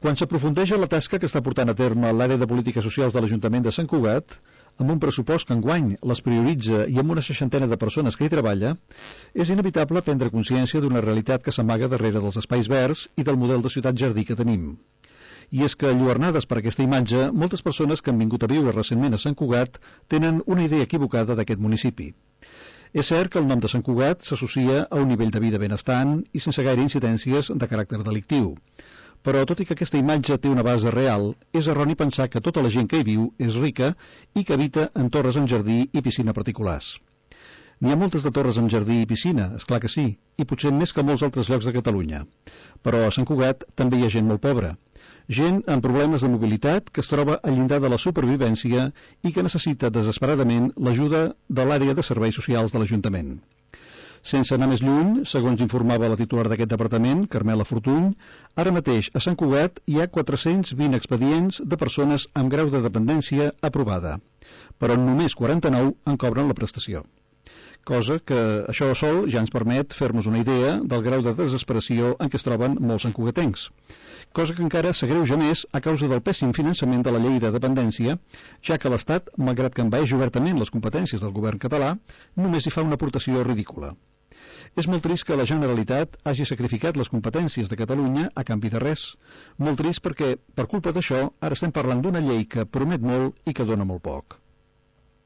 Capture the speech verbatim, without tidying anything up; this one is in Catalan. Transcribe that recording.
Quan s'aprofundeix en la tasca que està portant a terme l'àrea de polítiques socials de l'Ajuntament de Sant Cugat, amb un pressupost que enguany les prioritza i amb una seixantena de persones que hi treballa, és inevitable prendre consciència d'una realitat que s'amaga darrere dels espais verds i del model de ciutat-jardí que tenim. I és que, enlluernades per aquesta imatge, moltes persones que han vingut a viure recentment a Sant Cugat tenen una idea equivocada d'aquest municipi. És cert que el nom de Sant Cugat s'associa a un nivell de vida benestant i sense gaire incidències de caràcter delictiu. Però, tot i que aquesta imatge té una base real, és erroni pensar que tota la gent que hi viu és rica i que habita en torres amb jardí i piscina particulars. N'hi ha moltes de torres amb jardí i piscina, és clar que sí, i potser més que molts altres llocs de Catalunya. Però a Sant Cugat també hi ha gent molt pobra. Gent amb problemes de mobilitat que es troba al llindar de la supervivència i que necessita desesperadament l'ajuda de l'àrea de serveis socials de l'Ajuntament. Sense anar més lluny, segons informava la titular d'aquest departament, Carmela Fortuny, ara mateix a Sant Cugat hi ha quatre-cents vint expedients de persones amb grau de dependència aprovada, però només quaranta-nou en cobren la prestació. Cosa que això sol ja ens permet fer-nos una idea del grau de desesperació en què es troben molts santcugatencs. Cosa que encara s'agreuja més a causa del pèssim finançament de la llei de dependència, ja que l'Estat, malgrat que envaeix obertament les competències del govern català, només hi fa una aportació ridícula. És molt trist que la Generalitat hagi sacrificat les competències de Catalunya a canvi de res. Molt trist perquè, per culpa d'això, ara estem parlant d'una llei que promet molt i que dona molt poc.